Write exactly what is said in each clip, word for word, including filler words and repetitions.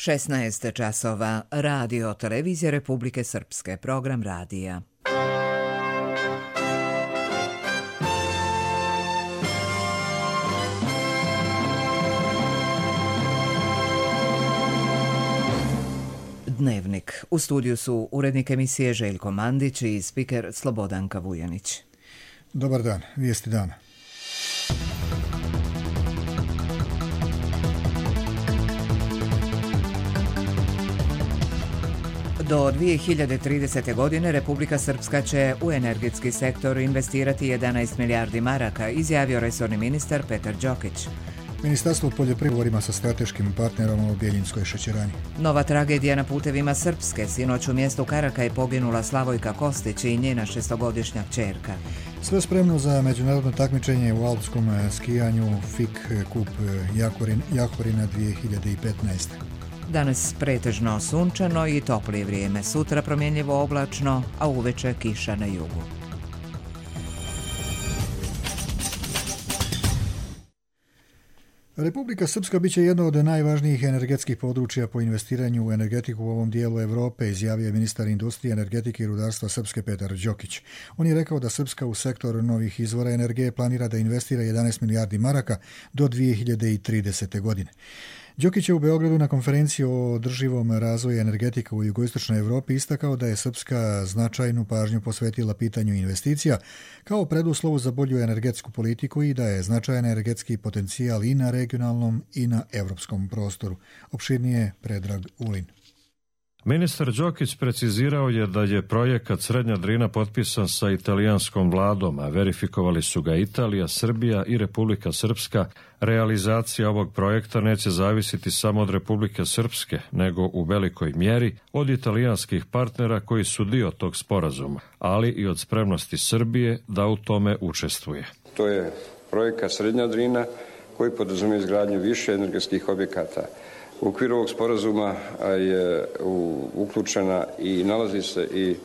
šesnaest časova, Radio Televizije Republike Srpske, program radija. Dnevnik. U studiju su urednik emisije Željko Mandić i spiker Slobodanka Vujanić. Dobar dan, vijesti dana. Do dvije hiljade tridesete. godine Republika Srpska će u energetski sektor investirati jedanaest milijardi maraka, izjavio resorni ministar Petar Đokić. Ministarstvo poljoprivrede sa strateškim partnerom u Bjeljinskoj šećerani. Nova tragedija na putevima Srpske. Sinoć u mjestu Karaka je poginula Slavojka Kostić i njena šestogodišnja kćerka. Sve spremno za međunarodno takmičenje u alpskom skijanju F I K Kup Jahorin, Jahorina dvije hiljade petnaeste. Danas pretežno sunčano i toplije vrijeme. Sutra promjenljivo oblačno, a uveče kiša na jugu. Republika Srpska biće jedno od najvažnijih energetskih područja po investiranju u energetiku u ovom dijelu Europe, izjavio je ministar industrije, energetike i rudarstva Srpske Petar Đokić. On je rekao da Srpska u sektor novih izvora energije planira da investira jedanaest milijardi maraka do dvije hiljade tridesete. godine. Đokić je u Beogradu na konferenciji o održivom razvoju energetika u jugoistočnoj Europi istakao da je Srpska značajnu pažnju posvetila pitanju investicija kao preduslovu za bolju energetsku politiku i da je značajan energetski potencijal i na regionalnom i na evropskom prostoru. Opširnije Predrag Ulin. Ministar Đokić precizirao je da je projekat Srednja Drina potpisan sa italijanskom vladom, a verifikovali su ga Italija, Srbija i Republika Srpska. Realizacija ovog projekta neće zavisiti samo od Republike Srpske, nego u velikoj mjeri od italijanskih partnera koji su dio tog sporazuma, ali i od spremnosti Srbije da u tome učestvuje. To je projekat Srednja Drina koji podrazumijeva izgradnju više energetskih objekata. U okviru ovog sporazuma je uključena i nalazi se i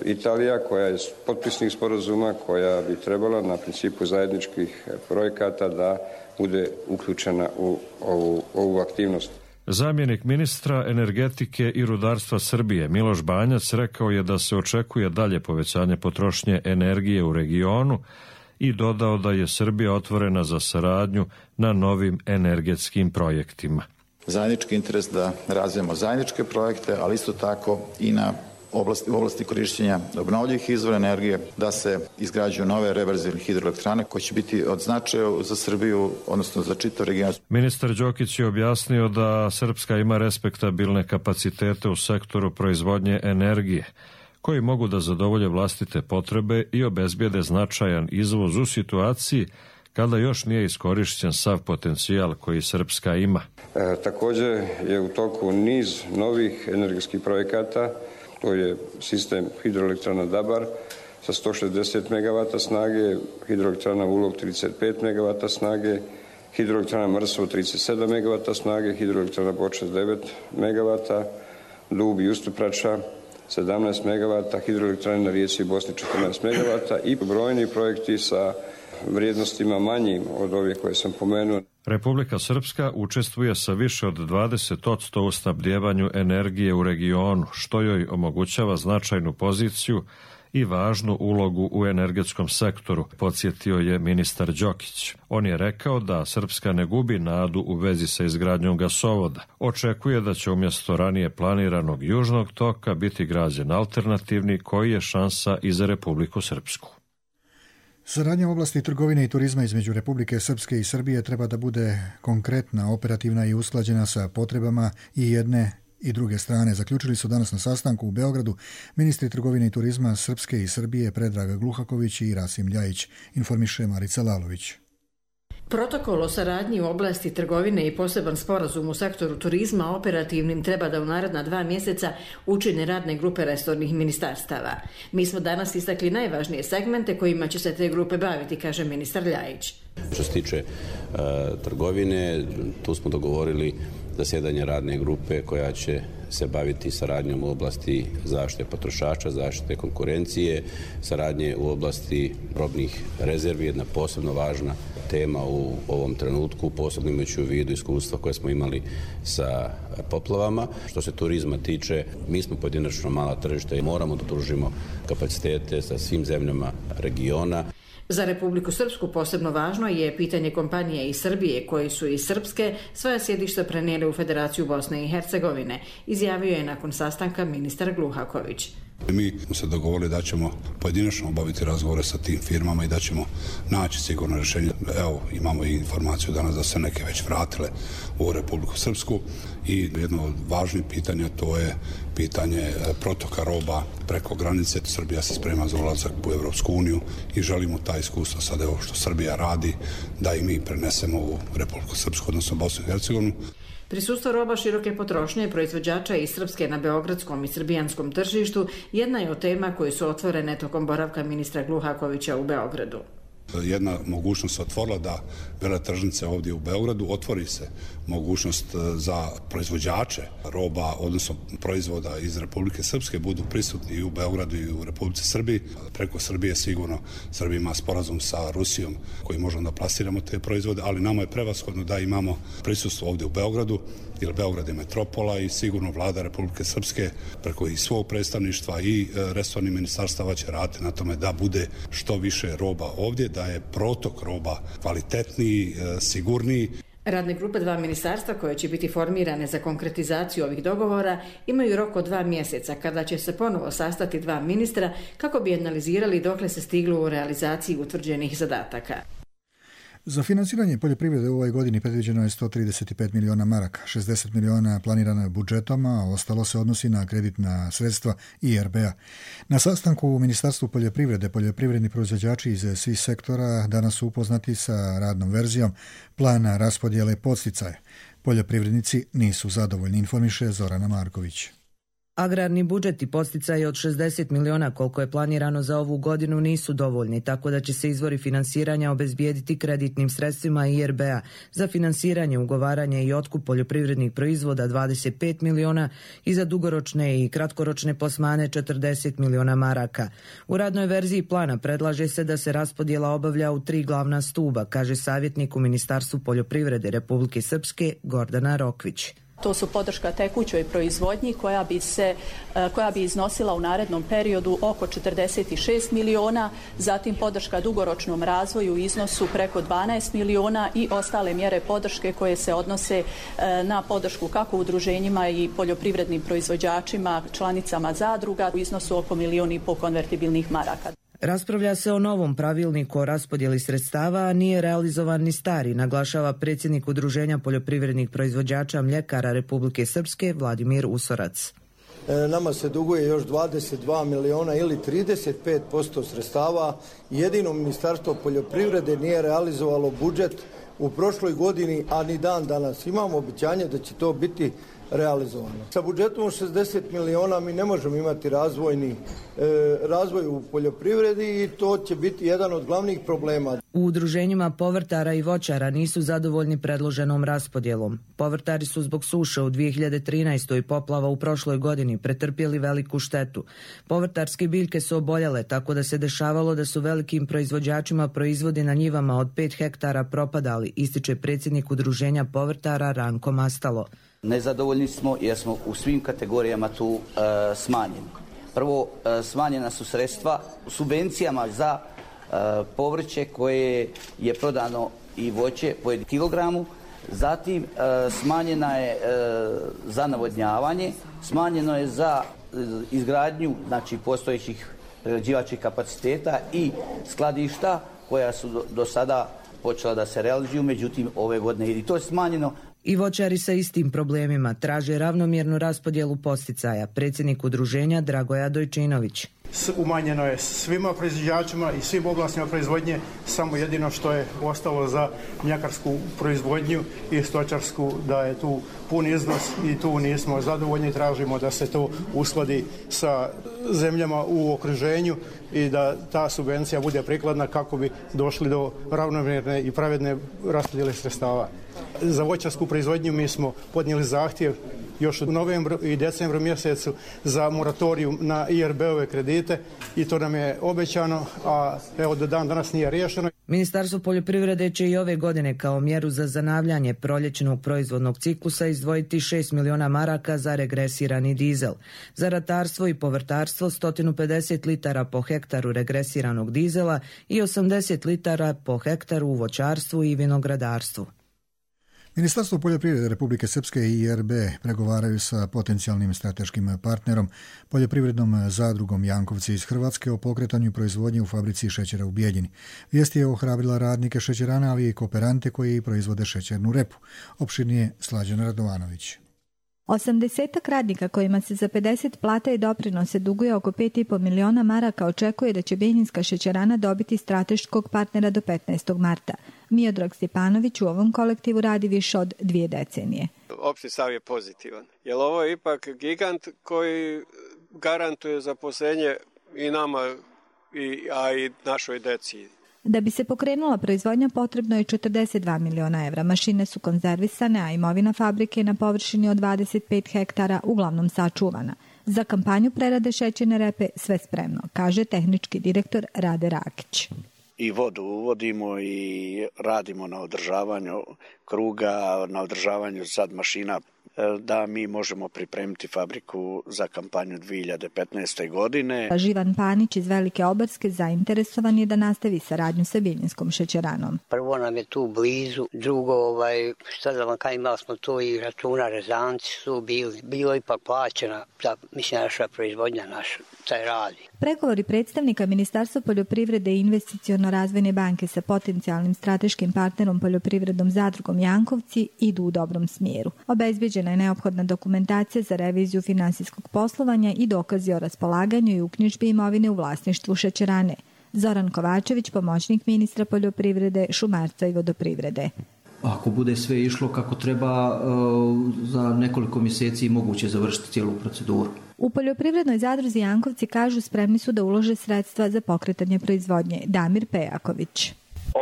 Italija, koja je potpisnik sporazuma, koja bi trebala na principu zajedničkih projekata da bude uključena u ovu, ovu aktivnost. Zamjenik ministra energetike i rudarstva Srbije Miloš Banjac rekao je da se očekuje dalje povećanje potrošnje energije u regionu i dodao da je Srbija otvorena za saradnju na novim energetskim projektima. Zajednički interes da razvijemo zajedničke projekte, ali isto tako i na oblasti, u oblasti korištenja obnovljivih izvora energije, da se izgrađuju nove reverzibilne hidroelektrane koje će biti od značaja za Srbiju, odnosno za čitav region. Ministar Đokić je objasnio da Srpska ima respektabilne kapacitete u sektoru proizvodnje energije, koji mogu da zadovolje vlastite potrebe i obezbijede značajan izvoz u situaciji kada još nije iskorišćen sav potencijal koji Srpska ima. E, također je u toku niz novih energetskih projekata. To je sistem hidroelektrana Dabar sa sto šezdeset megavata snage, hidroelektrana Ulog trideset pet megavata snage, hidroelektrana Mrso trideset sedam megavata snage, hidroelektrana Bočas devet megavata, Dub i Ustuprača sedamnaest megavata, hidroelektrane na rijeci Bosni četrnaest megavata i brojni projekti sa vrijednostima manjim od ove koje sam pomenuo. Republika Srpska učestvuje sa više od dvadeset posto u snabdjevanju energije u regionu, što joj omogućava značajnu poziciju i važnu ulogu u energetskom sektoru, podsjetio je ministar Đokić. On je rekao da Srpska ne gubi nadu u vezi sa izgradnjom gasovoda. Očekuje da će umjesto ranije planiranog južnog toka biti građen alternativni koji je šansa i za Republiku Srpsku. Saradnja u oblasti trgovine i turizma između Republike Srpske i Srbije treba da bude konkretna, operativna i usklađena sa potrebama i jedne i druge strane. Zaključili su danas na sastanku u Beogradu ministri trgovine i turizma Srpske i Srbije Predrag Gluhaković i Rasim Ljajić, informiše Marica Lalović. Protokol o saradnji u oblasti trgovine i poseban sporazum u sektoru turizma operativnim treba da u naredna dva mjeseca učine radne grupe resornih ministarstava. Mi smo danas istakli najvažnije segmente kojima će se te grupe baviti, kaže ministar Ljajić. Što se tiče uh, trgovine, tu smo dogovorili zasjedanje radne grupe koja će se baviti saradnjom u oblasti zaštite potrošača, zaštite konkurencije, saradnje u oblasti robnih rezervi, jedna posebno važna tema u ovom trenutku, posebno imajući u vidu iskustva koje smo imali sa poplavama. Što se turizma tiče, mi smo pojedinačno mala tržišta i moramo da pružimo kapacitete sa svim zemljama regiona. Za Republiku Srpsku posebno važno je pitanje kompanije iz Srbije koji su iz Srpske svoja sjedišta prenijeli u Federaciju Bosne i Hercegovine, izjavio je nakon sastanka ministar Gluhaković. Mi smo se dogovorili da ćemo pojedinačno obaviti razgovore sa tim firmama i da ćemo naći sigurno rješenje. Evo, imamo i informaciju danas da se neke već vratile u Republiku Srpsku i jedno od važnih pitanja to je pitanje protoka roba preko granice. Srbija se sprema za ulazak u Evropsku uniju i želimo ta iskustva sad evo što Srbija radi da i mi prenesemo u Republiku Srpsku, odnosno Bosnu i Hercegovinu. Prisustvo roba široke potrošnje proizvođača iz Srpske na beogradskom i srbijanskom tržištu jedna je od tema koje su otvorene tokom boravka ministra Gluhakovića u Beogradu. Jedna mogućnost se otvorila da veletržnice ovdje u Beogradu otvori se mogućnost za proizvođače roba, odnosno proizvoda iz Republike Srpske budu prisutni i u Beogradu i u Republici Srbiji. Preko Srbije sigurno Srbija ima sporazum sa Rusijom koji možemo da plasiramo te proizvode, ali nama je prevashodno da imamo prisustvo ovdje u Beogradu, jer Beograd je metropola i sigurno vlada Republike Srpske preko i svog predstavništva i resornih ministarstava će raditi na tome da bude što više roba ovdje, da je protok roba kvalitetniji, sigurniji. Radne grupe dva ministarstva koje će biti formirane za konkretizaciju ovih dogovora imaju rok od dva mjeseca kada će se ponovo sastati dva ministra kako bi analizirali dokle se stiglo u realizaciji utvrđenih zadataka. Za financiranje poljoprivrede u ovoj godini predviđeno je sto trideset pet miliona maraka, šezdeset miliona planirano je budžetom, a ostalo se odnosi na kreditna sredstva I R B-a. Na sastanku u Ministarstvu poljoprivrede poljoprivredni proizvođači iz svih sektora danas su upoznati sa radnom verzijom plana raspodjele podsticaja. Poljoprivrednici nisu zadovoljni, informiše Zorana Marković. Agrarni budžet i podsticaji od šezdeset miliona koliko je planirano za ovu godinu nisu dovoljni, tako da će se izvori finansiranja obezbijediti kreditnim sredstvima I R B-a za finansiranje, ugovaranje i otkup poljoprivrednih proizvoda dvadeset pet miliona i za dugoročne i kratkoročne plasmane četrdeset miliona maraka. U radnoj verziji plana predlaže se da se raspodjela obavlja u tri glavna stuba, kaže savjetnik u Ministarstvu poljoprivrede Republike Srpske Gordana Rokvić. To su podrška tekućoj proizvodnji koja bi se koja bi iznosila u narednom periodu oko četrdeset šest miliona, zatim podrška dugoročnom razvoju u iznosu preko dvanaest miliona i ostale mjere podrške koje se odnose na podršku kako udruženjima i poljoprivrednim proizvođačima, članicama zadruga u iznosu oko milion i pol konvertibilnih maraka. Raspravlja se o novom pravilniku o raspodjeli sredstava, a nije realizovan ni stari, naglašava predsjednik Udruženja poljoprivrednih proizvođača mljekara Republike Srpske Vladimir Usorac. E, nama se duguje još dvadeset dva miliona ili trideset pet posto sredstava. Jedino Ministarstvo poljoprivrede nije realizovalo budžet u prošloj godini, a ni dan danas. Imamo obećanje da će to biti realizovano. Sa budžetom šezdeset miliona mi ne možemo imati razvojni, e, razvoj u poljoprivredi i to će biti jedan od glavnih problema. U udruženjima povrtara i voćara nisu zadovoljni predloženom raspodjelom. Povrtari su zbog suše u dvije hiljade trinaestoj i poplava u prošloj godini pretrpjeli veliku štetu. Povrtarske biljke su oboljele, tako da se dešavalo da su velikim proizvođačima proizvodi na njivama od pet hektara propadali, ističe predsjednik udruženja povrtara Ranko Mastalo. Nezadovoljni smo jer smo u svim kategorijama tu e, smanjeni. Prvo, e, smanjena su sredstva subvencijama za e, povrće koje je prodano i voće po jednom kilogramu. Zatim, e, smanjena je e, za navodnjavanje, smanjeno je za e, izgradnju znači, postojećih prerađivačkih kapaciteta i skladišta koja su do, do sada počela da se realizuju, međutim ove godine i to je smanjeno. I voćari sa istim problemima traže ravnomjernu raspodjelu podsticaja. Predsjednik udruženja Dragoja Dojčinović. Umanjeno je svima proizvođačima i svim oblastima proizvodnje, samo jedino što je ostalo za mljekarsku proizvodnju i stočarsku, da je tu pun iznos i tu nismo zadovoljni, tražimo da se to uskladi sa zemljama u okruženju i da ta subvencija bude prikladna kako bi došli do ravnomjerne i pravedne raspodjele sredstava. Za voćarsku proizvodnju mi smo podnijeli zahtjev još u novembru i decembru mjesecu za moratoriju na I R B-ove kredite i to nam je obećano, a evo do dan danas nije riješeno. Ministarstvo poljoprivrede će i ove godine kao mjeru za zanavljanje proljećnog proizvodnog ciklusa izdvojiti šest miliona maraka za regresirani dizel. Za ratarstvo i povrtarstvo sto pedeset litara po hektaru regresiranog dizela i osamdeset litara po hektaru u voćarstvu i vinogradarstvu. Ministarstvo poljoprivrede Republike Srpske i I R B pregovaraju sa potencijalnim strateškim partnerom, poljoprivrednom zadrugom Jankovci iz Hrvatske, o pokretanju proizvodnje u fabrici šećera u Bijeljini. Vijest je ohrabrila radnike šećerana, ali i kooperante koji proizvode šećernu repu. Opširnije Slađana Radovanović. osamdesetak radnika kojima se za pedeset plata i doprinose duguje oko pet i po miliona maraka očekuje da će Bijeljinska šećerana dobiti strateškog partnera do petnaestog marta. Miodrag Stjepanović u ovom kolektivu radi više od dvije decenije. Opšti stav je pozitivan, jer ovo je ipak gigant koji garantuje zaposlenje i nama, i, a i našoj deci. Da bi se pokrenula proizvodnja potrebno je četrdeset dva miliona evra. Mašine su konzervisane, a imovina fabrike na površini od dvadeset pet hektara uglavnom sačuvana. Za kampanju prerade šećerne repe sve spremno, kaže tehnički direktor Rade Rakić. I vodu uvodimo i radimo na održavanju kruga, na održavanju sad mašina da mi možemo pripremiti fabriku za kampanju dvije hiljade petnaeste. godine. Živan Panić iz Velike Obarske zainteresovan je da nastavi saradnju sa Biljinskom šećeranom. Prvo nam je tu blizu, drugo, ovaj, šta da vam kaj, imali smo to i računa, rezanci su bili, bilo ipak plaćena, za, mislim, naša proizvodnja, naša, taj radi. Pregovori predstavnika Ministarstva poljoprivrede i investiciono-razvojne banke sa potencijalnim strateškim partnerom poljoprivrednom zadrugom Jankovci idu u dobrom smjeru. Obezbeđena je neophodna dokumentacija za reviziju finansijskog poslovanja i dokazi o raspolaganju i uknjižbi imovine u vlasništvu šećerane. Zoran Kovačević, pomoćnik ministra poljoprivrede, šumarstva i vodoprivrede. Ako bude sve išlo kako treba, za nekoliko mjeseci moguće završiti cijelu proceduru. U poljoprivrednoj zadruzi Jankovci kažu spremni su da ulože sredstva za pokretanje proizvodnje. Damir Pejaković.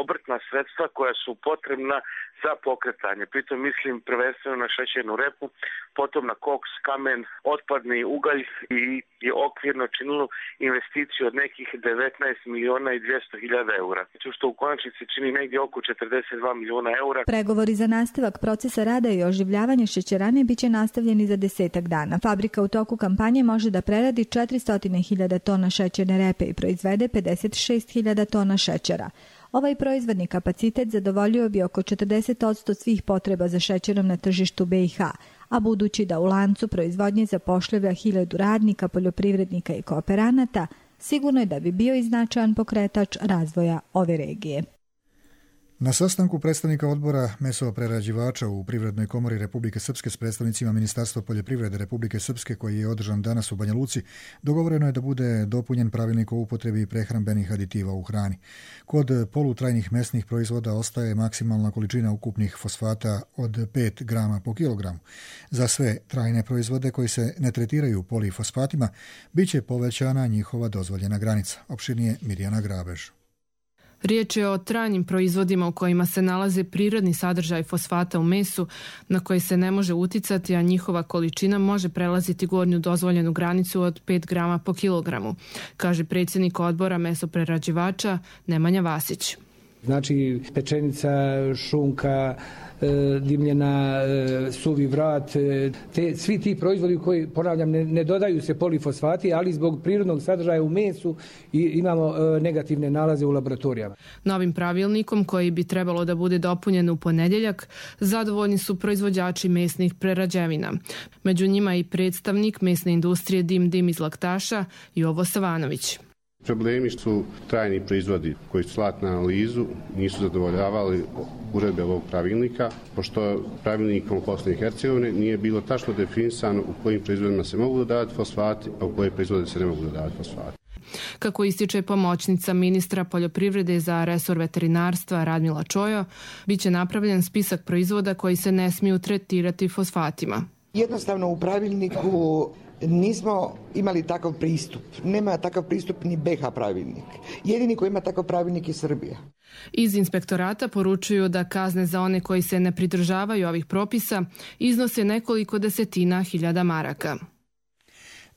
Obrtna sredstva koja su potrebna za pokretanje. Pritom mislim prvenstveno na šećernu repu, potom na koks, kamen, otpadni ugalj i je okvirno činilo investiciju od nekih devetnaest miliona i dvjesto hiljada eura. Što u konačnici čini negdje oko četrdeset dva miliona eura. Pregovori za nastavak procesa rada i oživljavanje šećerane biće nastavljeni za desetak dana. Fabrika u toku kampanje može da preradi četiristo hiljada tona šećerne repe i proizvede pedeset šest hiljada tona šećera. Ovaj proizvodni kapacitet zadovoljio bi oko četrdeset posto svih potreba za šećerom na tržištu B i H, a budući da u lancu proizvodnje zapošljava hiljadu radnika, poljoprivrednika i kooperanata, sigurno je da bi bio i značajan pokretač razvoja ove regije. Na sastanku predstavnika odbora mesoprerađivača u Privrednoj komori Republike Srpske s predstavnicima Ministarstva poljoprivrede Republike Srpske, koji je održan danas u Banja Luci, dogovoreno je da bude dopunjen pravilnik o upotrebi prehrambenih aditiva u hrani. Kod polutrajnih mesnih proizvoda ostaje maksimalna količina ukupnih fosfata od pet grama po kilogramu. Za sve trajne proizvode koji se ne tretiraju polifosfatima, bit će povećana njihova dozvoljena granica. Opširnije Mirjana Grabež. Riječ je o trajnim proizvodima u kojima se nalaze prirodni sadržaj fosfata u mesu na koji se ne može uticati, a njihova količina može prelaziti gornju dozvoljenu granicu od pet grama po kilogramu, kaže predsjednik odbora mesoprerađivača Nemanja Vasić. Znači pečenica, šunka, dimljena, suvi vrat, te, svi ti proizvodi koji, ponavljam, ne, ne dodaju se polifosfati, ali zbog prirodnog sadržaja u mesu i imamo negativne nalaze u laboratorijama. Novim pravilnikom, koji bi trebalo da bude dopunjen u ponedjeljak, zadovoljni su proizvođači mesnih prerađevina. Među njima i predstavnik mesne industrije Dim Dim iz Laktaša, Jovo Savanović. Problemi su trajni proizvodi koji su slati na analizu, nisu zadovoljavali uredbe ovog pravilnika, pošto pravilnikom Bosne i Hercegovine nije bilo tačno definisano u kojim proizvodima se mogu dodavati fosfati, a u koje proizvode se ne mogu dodavati fosfati. Kako ističe pomoćnica ministra poljoprivrede za resor veterinarstva Radmila Čojo, bit će napravljen spisak proizvoda koji se ne smiju tretirati fosfatima. Jednostavno u pravilniku nismo imali takav pristup. Nema takav pristup ni B H pravilnik. Jedini koji ima takav pravilnik je Srbija. Iz inspektorata poručuju da kazne za one koji se ne pridržavaju ovih propisa iznose nekoliko desetina hiljada maraka.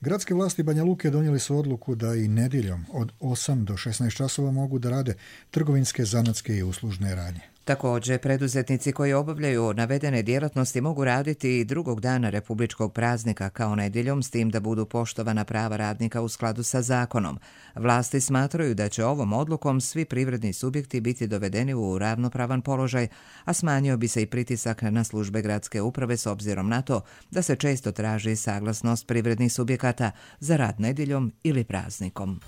Gradske vlasti Banja Luke donijeli su odluku da i nedjeljom od osam do šesnaest časova mogu da rade trgovinske, zanatske i uslužne radnje. Također, preduzetnici koji obavljaju navedene djelatnosti mogu raditi i drugog dana republičkog praznika kao nedjeljom, s tim da budu poštovana prava radnika u skladu sa zakonom. Vlasti smatraju da će ovom odlukom svi privredni subjekti biti dovedeni u ravnopravan položaj, a smanjio bi se i pritisak na službe gradske uprave s obzirom na to da se često traži saglasnost privrednih subjekata za rad nedjeljom ili praznikom.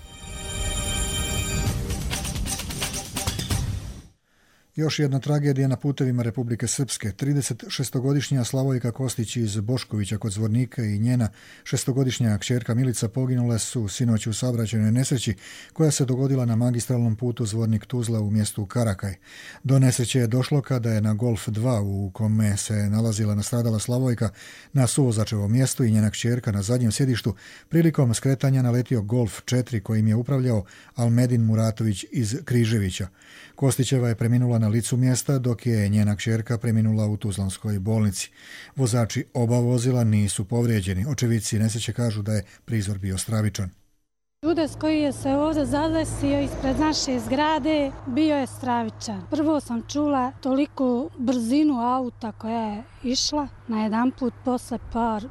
Još jedna tragedija na putevima Republike Srpske. tridesetšestogodišnja Slavojka Kostić iz Boškovića kod Zvornika i njena šestogodišnja kćerka Milica poginule su sinoć u saobraćajnoj nesreći koja se dogodila na magistralnom putu Zvornik-Tuzla u mjestu Karakaj. Do nesreće je došlo kada je na Golf dva u kome se nalazila nastradala Slavojka na suvozačevom mjestu i njena kćerka na zadnjem sjedištu prilikom skretanja naletio Golf četiri kojim je upravljao Almedin Muratović iz Križevića. Kostićeva je preminula na licu mjesta, dok je njena kćerka preminula u Tuzlanskoj bolnici. Vozači oba vozila nisu povrijeđeni. Očevici nesreće kažu da je prizor bio stravičan. Udes koji je se ovdje zadesio ispred naše zgrade bio je stravičan. Prvo sam čula toliku brzinu auta koja je išla, na jedan put posle par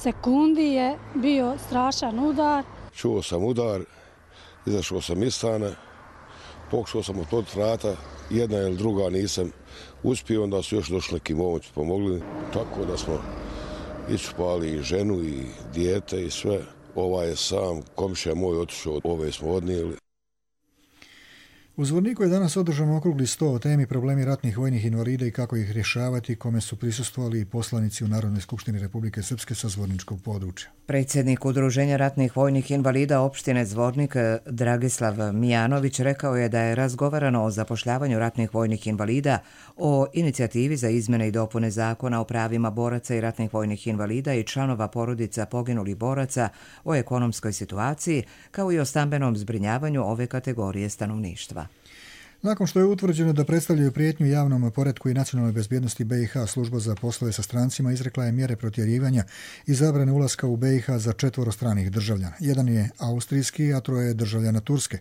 sekundi je bio strašan udar. Čuo sam udar, izašao sam iz stana, pokušao sam otvoriti vrata, jedna ili druga nisam uspio, onda su još došli neki momci pomogli, tako da smo iščupali i ženu i dijete i sve. Ovaj je sam, komšija moj otišao, ove smo odnijeli. U Zvorniku je danas održan okrugli sto o temi problemi ratnih vojnih invalida i kako ih rješavati, kome su prisustvovali i poslanici u Narodnoj skupštini Republike Srpske sa zvorničkog područja. Predsjednik Udruženja ratnih vojnih invalida opštine Zvornik Dragislav Mijanović rekao je da je razgovarano o zapošljavanju ratnih vojnih invalida, o inicijativi za izmjene i dopune zakona o pravima boraca i ratnih vojnih invalida i članova porodica poginulih boraca, o ekonomskoj situaciji, kao i o stambenom zbrinjavanju ove kategorije stanovništva. Nakon što je utvrđeno da predstavljaju prijetnju javnom poretku i nacionalnoj bezbjednosti B i H, služba za poslove sa strancima izrekla je mjere protjerivanja i zabrane ulaska u B i H za četvoro stranih državljana. Jedan je austrijski, a troje je državljana Turske.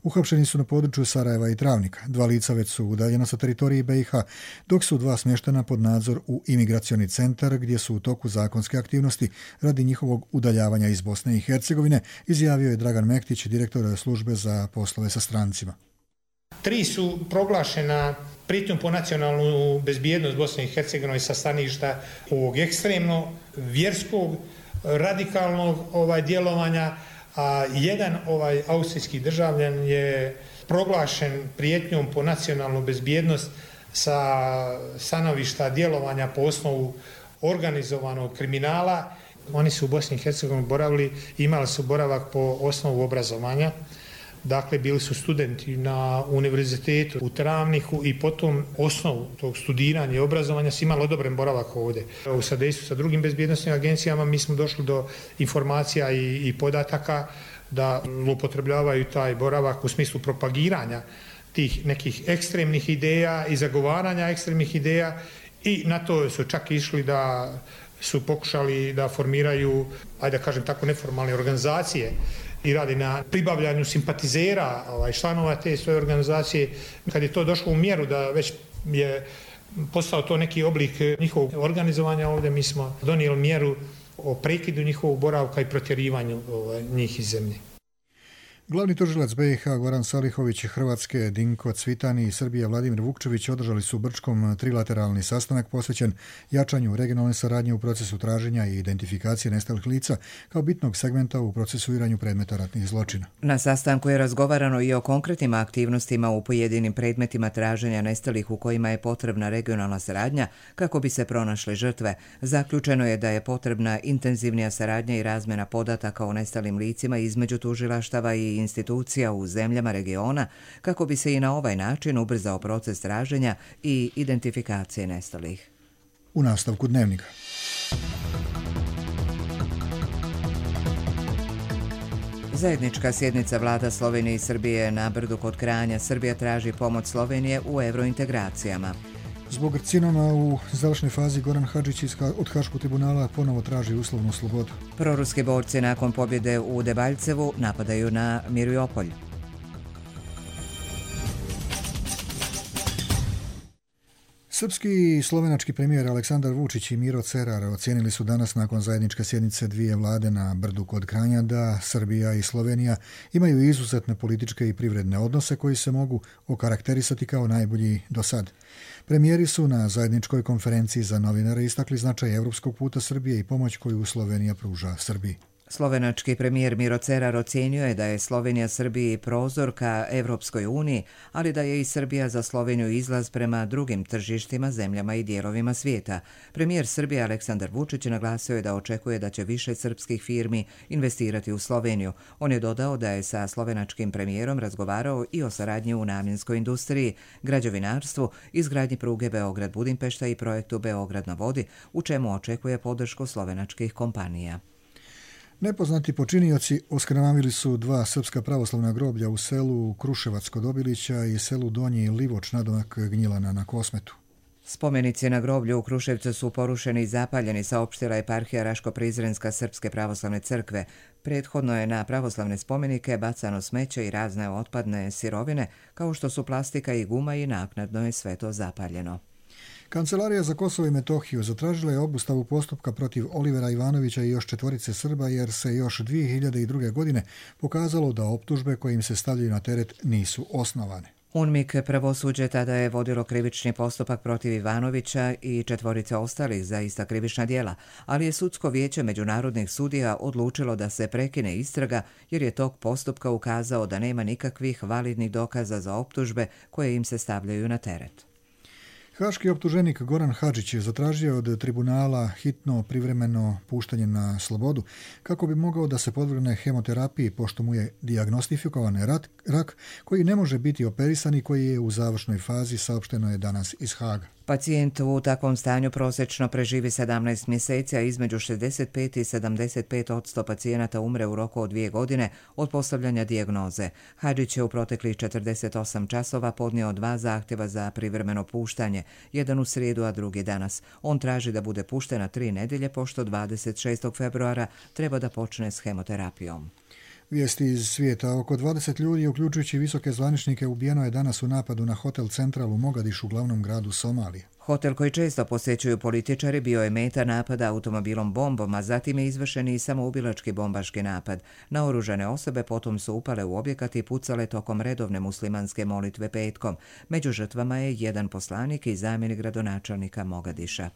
Uhapšeni su na području Sarajeva i Travnika. Dva lica već su udaljena sa teritoriji B i H, dok su dva smještena pod nadzor u imigracioni centar, gdje su u toku zakonske aktivnosti radi njihovog udaljavanja iz Bosne i Hercegovine, izjavio je Dragan Mektić, direktor službe za poslove sa strancima. Tri su proglašena prijetnjom po nacionalnu bezbjednost Bosne i Hercegovine sa staništa ovog ekstremno vjerskog, radikalnog ovaj djelovanja, a jedan ovaj austrijski državljan je proglašen prijetnjom po nacionalnu bezbjednost sa stanovišta djelovanja po osnovu organizovanog kriminala. Oni su u Bosni i Hercegovini boravili, imali su boravak po osnovu obrazovanja. Dakle, bili su studenti na univerzitetu u Travniku i potom osnovu tog studiranja i obrazovanja su imali odobren boravak ovdje. U sadejstvu sa drugim bezbjednostnim agencijama mi smo došli do informacija i, i podataka da upotrebljavaju taj boravak u smislu propagiranja tih nekih ekstremnih ideja i zagovaranja ekstremnih ideja i na to su čak išli da su pokušali da formiraju, ajde da kažem tako, neformalne organizacije i radi na pribavljanju simpatizera, ovaj, članova te svoje organizacije. Kad je to došlo u mjeru da već je postao to neki oblik njihovog organizovanja, ovdje mi smo donijeli mjeru o prekidu njihovog boravka i protjerivanju ovaj, njih iz zemlje. Glavni tužilac B i H Goran Salihović, Hrvatske Dinko Cvitani i Srbije Vladimir Vukčević održali su u Brčkom trilateralni sastanak posvećen jačanju regionalne saradnje u procesu traženja i identifikacije nestalih lica kao bitnog segmenta u procesuiranju predmeta ratnih zločina. Na sastanku je razgovarano i o konkretnim aktivnostima u pojedinim predmetima traženja nestalih u kojima je potrebna regionalna saradnja kako bi se pronašle žrtve. Zaključeno je da je potrebna intenzivnija saradnja i razmjena podataka o nestalim licima između tužilaštava i institucija u zemljama regiona kako bi se i na ovaj način ubrzao proces traženja i identifikacije nestalih. U nastavku dnevnika. Zajednička sjednica vlada Slovenije i Srbije na Brdu kod Kranja. Srbija traži pomoć Slovenije u eurointegracijama. Zbog karcinoma u završnoj fazi Goran Hadžić od Haškog tribunala ponovo traži uslovnu slobodu. Proruski borci nakon pobjede u Debaljcevu napadaju na Mariupolj. Srpski i slovenački premijer Aleksandar Vučić i Miro Cerar ocijenili su danas nakon zajedničke sjednice dvije vlade na Brdu kod Kranja da Srbija i Slovenija imaju izuzetne političke i privredne odnose koji se mogu okarakterisati kao najbolji do sad. Premijeri su na zajedničkoj konferenciji za novinare istakli značaj evropskog puta Srbije i pomoć koju Slovenija pruža Srbiji. Slovenački premijer Miro Cerar ocijenio je da je Slovenija Srbiji prozor ka Evropskoj uniji, ali da je i Srbija za Sloveniju izlaz prema drugim tržištima, zemljama i dijelovima svijeta. Premijer Srbije Aleksandar Vučić naglasio je da očekuje da će više srpskih firmi investirati u Sloveniju. On je dodao da je sa slovenačkim premijerom razgovarao i o saradnji u namjenskoj industriji, građevinarstvu, izgradnji pruge Beograd-Budimpešta i projektu Beograd na vodi, u čemu očekuje podršku slovenačkih kompanija. Nepoznati počinioci oskrnavili su dva srpska pravoslavna groblja u selu Kruševac kod Obilića i selu Donji Livoč nadomak Gnjilana na Kosmetu. Spomenici na groblju u Kruševcu su porušeni i zapaljeni, saopštila eparhija Raško-Prizrenska Srpske pravoslavne crkve. Prethodno je na pravoslavne spomenike bacano smeće i razne otpadne sirovine, kao što su plastika i guma, i naknadno je sve to zapaljeno. Kancelarija za Kosovo i Metohiju zatražila je obustavu postupka protiv Olivera Ivanovića i još četvorice Srba jer se još dvije hiljade druge. godine pokazalo da optužbe koje im se stavljaju na teret nisu osnovane. UNMIK pravosuđe tada je vodilo krivični postupak protiv Ivanovića i četvorice ostalih za ista krivična djela, ali je sudsko vijeće međunarodnih sudija odlučilo da se prekine istraga jer je tok postupka ukazao da nema nikakvih validnih dokaza za optužbe koje im se stavljaju na teret. Haški optuženik Goran Hadžić je zatražio od tribunala hitno privremeno puštanje na slobodu kako bi mogao da se podvrgne hemoterapiji pošto mu je dijagnostikovan rak, rak koji ne može biti operisan i koji je u završnoj fazi, saopšteno je danas iz Haga. Pacijent u takvom stanju prosječno preživi sedamnaest mjeseci, a između šezdeset pet i sedamdeset pet posto pacijenata umre u roku od dvije godine od postavljanja dijagnoze. Hadžić je u proteklih četrdeset osam časova podnio dva zahtjeva za privremeno puštanje, jedan u srijedu, a drugi danas. On traži da bude pušten na tri nedjelje, pošto dvadeset šestog februara treba da počne s hemoterapijom. Vijesti iz svijeta. Oko dvadeset ljudi, uključujući visoke zvaničnike, ubijeno je danas u napadu na hotel Central u Mogadišu, glavnom gradu Somalije. Hotel koji često posjećuju političari bio je meta napada automobilom bombom, a zatim je izvršen i samoubilački bombaški napad. Naoružane osobe potom su upale u objekat i pucale tokom redovne muslimanske molitve petkom. Među žrtvama je jedan poslanik i zamjenik gradonačelnika Mogadiša.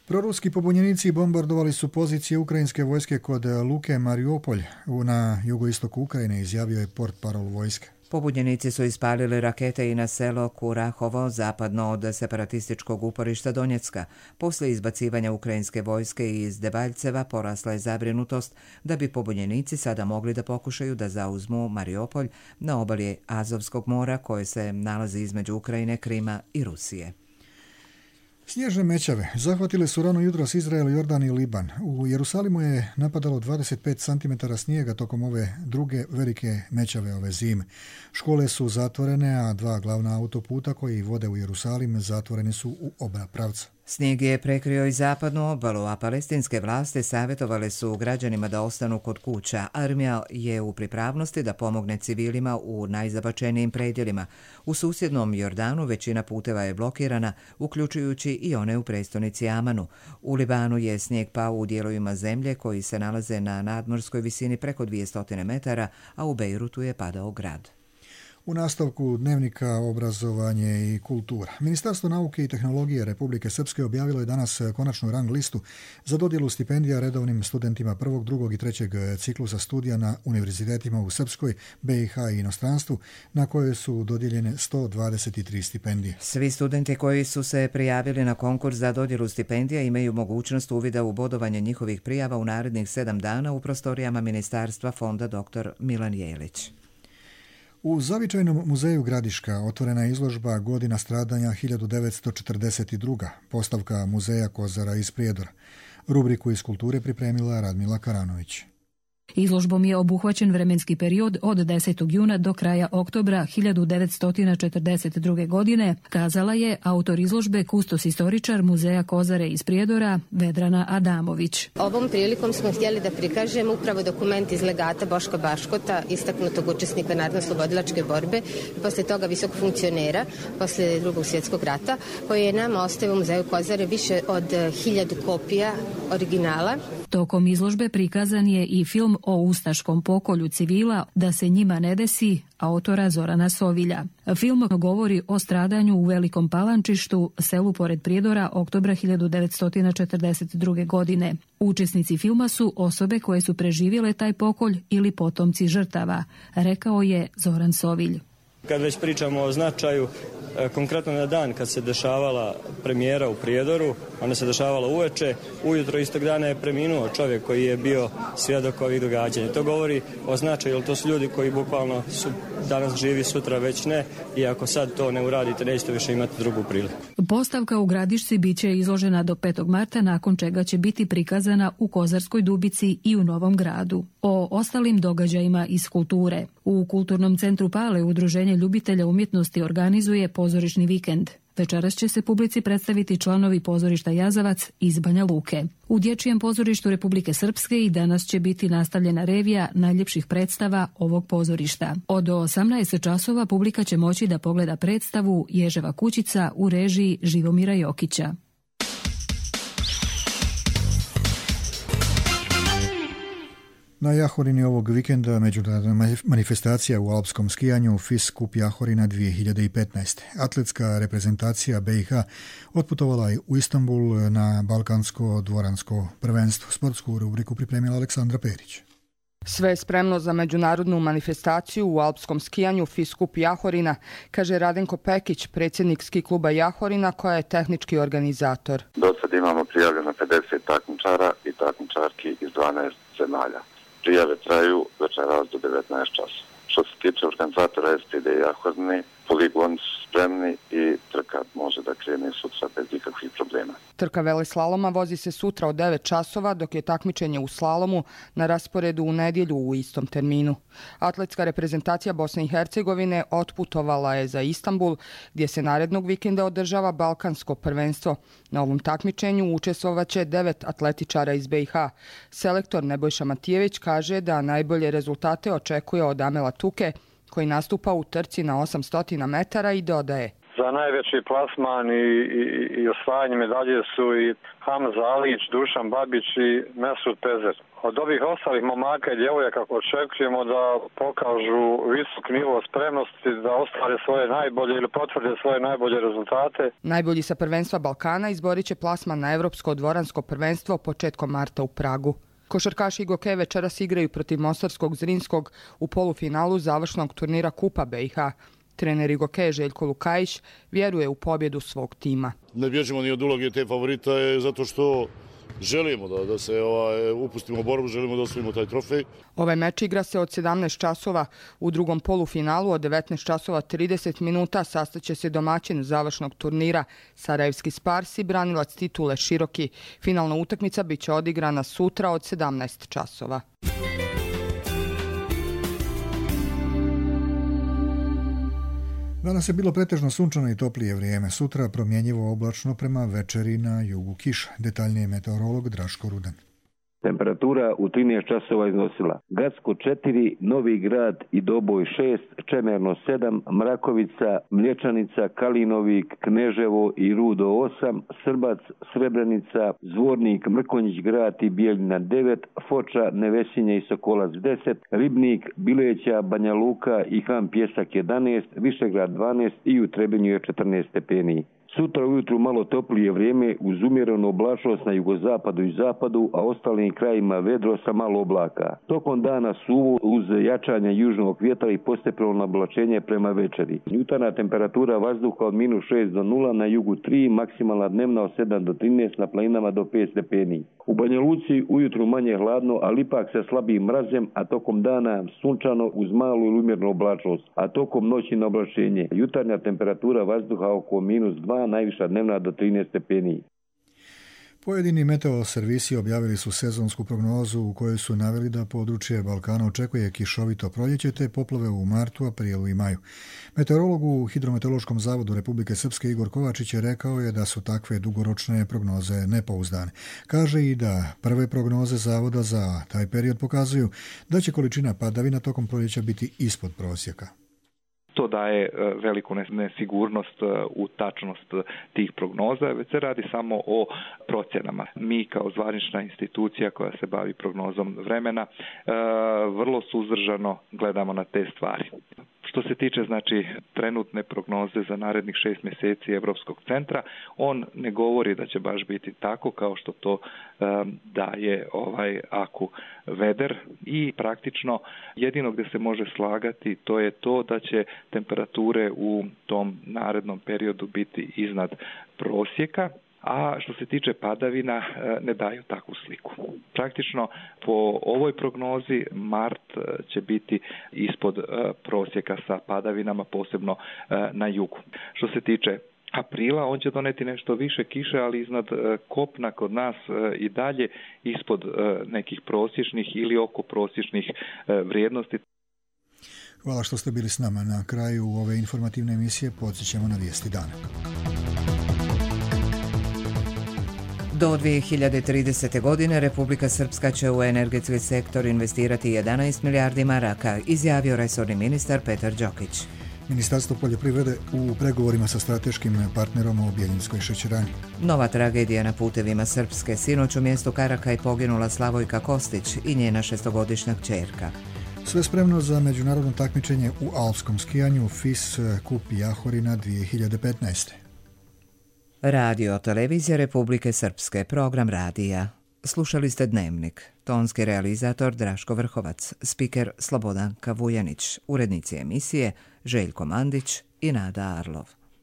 Proruski pobunjenici bombardovali su pozicije ukrajinske vojske kod luke Mariupolj na jugoistoku Ukrajine, izjavio je portparol vojske. Pobunjenici su ispalili rakete i na selo Kurahovo, zapadno od separatističkog uporišta Donjecka. Poslije izbacivanja ukrajinske vojske iz Debaljceva porasla je zabrinutost da bi pobunjenici sada mogli da pokušaju da zauzmu Mariupolj na obali Azovskog mora koje se nalazi između Ukrajine, Krima i Rusije. Snježne mećave zahvatile su rano jutros Izrael, Jordan i Liban. U Jerusalimu je napadalo dvadeset pet centimetara snijega tokom ove druge velike mećave ove zime. Škole su zatvorene, a dva glavna autoputa koji vode u Jerusalim zatvoreni su u oba pravca. Snijeg je prekrio i zapadnu obalu, a palestinske vlasti savjetovale su građanima da ostanu kod kuća. Armija je u pripravnosti da pomogne civilima u najzabačenijim predjelima. U susjednom Jordanu većina puteva je blokirana, uključujući i one u prestonici Amanu. U Libanu je snijeg pao u dijelovima zemlje koji se nalaze na nadmorskoj visini preko dvjesto metara, a u Bejrutu je padao grad. U nastavku dnevnika obrazovanje i kultura. Ministarstvo nauke i tehnologije Republike Srpske objavilo je danas konačnu rang listu za dodjelu stipendija redovnim studentima prvog, drugog i trećeg ciklusa studija na univerzitetima u Srpskoj, B i H i inostranstvu, na koje su dodijeljene sto dvadeset tri stipendije. Svi studenti koji su se prijavili na konkurs za dodjelu stipendija imaju mogućnost uvida u bodovanje njihovih prijava u narednih sedam dana u prostorijama Ministarstva fonda doktor Milan Jelić. U Zavičajnom muzeju Gradiška otvorena je izložba Godina stradanja hiljadu devetsto četrdeset druga. Postavka muzeja Kozara iz Prijedora. Rubriku iz kulture pripremila Radmila Karanović. Izložbom je obuhvaćen vremenski period od desetog juna do kraja oktobra hiljadu devetsto četrdeset druge. godine, kazala je autor izložbe, kustos istoričar Muzeja Kozare iz Prijedora, Vedrana Adamović. Ovom prilikom smo htjeli da prikažemo upravo dokument iz legata Boška Baškota, istaknutog učesnika narodno-slobodilačke borbe, posle toga visokog funkcionera, posle drugog svjetskog rata, koji je nama ostavio u Muzeju Kozare više od hiljadu kopija originala. Tokom izložbe prikazan je i film o ustaškom pokolju civila Da se njima ne desi, autora Zorana Sovilja. Film govori o stradanju u Velikom Palančištu, selu pored Prijedora, oktobra hiljadu devetsto četrdeset druge. godine. Učesnici filma su osobe koje su preživjele taj pokolj ili potomci žrtava, rekao je Zoran Sovilj. Kad već pričamo o značaju, konkretno na dan kad se dešavala premijera u Prijedoru, ona se dešavala uveče, ujutro istog dana je preminuo čovjek koji je bio svjedok ovih događanja. To govori o značaju, jer to su ljudi koji bukvalno su danas živi, sutra već ne, i ako sad to ne uradite, nećete više imati drugu priliku. Postavka u Gradišci biće izložena do petog marta, nakon čega će biti prikazana u Kozarskoj Dubici i u Novom Gradu. O ostalim događajima iz kulture. U Kulturnom centru Pale Udruženje ljubitelja umjetnosti organizuje pozorišni vikend. Večeras će se publici predstaviti članovi pozorišta Jazavac iz Banja Luke. U Dječjem pozorištu Republike Srpske i danas će biti nastavljena revija najljepših predstava ovog pozorišta. Od osamnaest časova publika će moći da pogleda predstavu Ježeva kućica u režiji Živomira Jokića. Na Jahorini ovog vikenda međunarodna manifestacija u alpskom skijanju FIS Kup Jahorina dvije hiljade petnaest. Atletska reprezentacija B i H otputovala je u Istanbul na balkansko dvoransko prvenstvo. Sportsku rubriku pripremila Aleksandra Perić. Sve je spremno za međunarodnu manifestaciju u alpskom skijanju FIS Kup Jahorina, kaže Radenko Pekić, predsjednik ski kluba Jahorina, koja je tehnički organizator. Do sad imamo prijavljeno pedeset takmičara i takmičarki iz dvanaest zemalja. Prijave traju večeras do devetnaest časova. Što se tiče organizatora S P D Jahorine, poligoni su spremni i trka može da krene sutra bez ikakvih problema. Trka veleslaloma vozi se sutra od devet časova, dok je takmičenje u slalomu na rasporedu u nedjelju u istom terminu. Atletska reprezentacija Bosne i Hercegovine otputovala je za Istanbul, gdje se narednog vikenda održava balkansko prvenstvo. Na ovom takmičenju učestvovaće devet atletičara iz B i H. Selektor Nebojša Matijević kaže da najbolje rezultate očekuje od Amela Tuke, koji nastupa u trci na osamsto metara, i dodaje: za najveći plasman i, i, i osvajanje medalje su i Hamza Alić, Dušan Babić i Mesut Pezer. Od ovih ostalih momaka i djevojaka očekujemo da pokažu visok nivo spremnosti, da ostvare svoje najbolje ili potvrde svoje najbolje rezultate. Najbolji sa prvenstva Balkana izborit će plasman na Evropsko dvoransko prvenstvo početkom marta u Pragu. Košarkaši Goke večeras igraju protiv Mostarskog Zrinskog u polufinalu završnog turnira Kupa B i H. Trener Igoke Željko Lukajić vjeruje u pobjedu svog tima. Ne bježimo ni od uloge te favorita zato što želimo da, da se ovaj, upustimo u borbu, želimo da osvojimo taj trofej. Ovaj meč igra se od sedamnaest časova. U drugom polufinalu od devetnaest časova trideset minuta sastaće se domaćin završnog turnira Sarajevski Spars i branilac titule Široki. Finalna utakmica biće odigrana sutra od sedamnaest časova. Danas je bilo pretežno sunčano i toplije vrijeme. Sutra promjenjivo oblačno, prema večeri na jugu kiša. Detaljnije meteorolog Draško Rudan. Temperatura u trinaest časova iznosila Gacko četiri, Novi Grad i Doboj šest, Čemerno sedam, Mrakovica, Mlječanica, Kalinovik, Kneževo i Rudo osam, Srbac, Srebrenica, Zvornik, Mrkonjić Grad i Bijeljina devet, Foča, Nevesinje i Sokolac deset, Ribnik, Bileća, Banja Luka i Han Pjesak jedanaest, Višegrad dvanaest i u Trebinju je četrnaest stepeni. Sutra ujutru malo toplije vrijeme uz umjerenu oblačnost na jugozapadu i zapadu, a ostalim krajima vedro sa malo oblaka. Tokom dana suvo uz jačanje južnog vjetra i postepeno oblačenje prema večeri. Jutarnja temperatura vazduha od minus šest do nula, na jugu tri, maksimalna dnevna od sedam do trinaest, na planinama do pet stepeni. U Banja Luci ujutru manje hladno, ali ipak sa slabijim mrazem, a tokom dana sunčano uz malu ili umjernu oblačnost, a tokom noći na oblačenje. Jutarnja temperatura vazduha oko minus dva, najviša dnevna do trinaest stepeni. Pojedini meteo servisi objavili su sezonsku prognozu u kojoj su naveli da područje Balkana očekuje kišovito proljeće te poplave u martu, aprilu i maju. Meteorolog u Hidrometeorološkom zavodu Republike Srpske Igor Kovačić je rekao je da su takve dugoročne prognoze nepouzdane. Kaže i da prve prognoze zavoda za taj period pokazuju da će količina padavina tokom proljeća biti ispod prosjeka. To daje veliku nesigurnost u tačnost tih prognoza, već se radi samo o procjenama. Mi kao zvanična institucija koja se bavi prognozom vremena vrlo suzdržano gledamo na te stvari. Što se tiče znači trenutne prognoze za narednih šest mjeseci Europskog centra, on ne govori da će baš biti tako kao što to um, daje ovaj Aku Veder i praktično jedino gdje se može slagati to je to da će temperature u tom narednom periodu biti iznad prosjeka. A što se tiče padavina, ne daju takvu sliku. Praktično po ovoj prognozi mart će biti ispod prosjeka sa padavinama, posebno na jugu. Što se tiče aprila, on će doneti nešto više kiše, ali iznad kopna kod nas i dalje ispod nekih prosječnih ili oko prosječnih vrijednosti. Hvala što ste bili s nama. Na kraju ove informativne emisije podsjećamo na vijesti dana. Do dvije hiljade tridesete. godine Republika Srpska će u energetski sektor investirati jedanaest milijardi maraka, izjavio resorni ministar Petar Đokić. Ministarstvo poljoprivrede u pregovorima sa strateškim partnerom o Bjeljinskoj šećerani. Nova tragedija na putevima Srpske. Sinoć u mjestu Karakaj poginula Slavojka Kostić i njena šestogodišnja kćerka. Sve spremno za međunarodno takmičenje u alpskom skijanju F I S Kup Jahorina dvije hiljade petnaeste. Radio Televizija Republike Srpske, program radija. Slušali ste Dnevnik. Tonski realizator Draško Vrhovac, spiker Slobodanka Vujanić, urednici emisije Željko Mandić i Nada Arlov.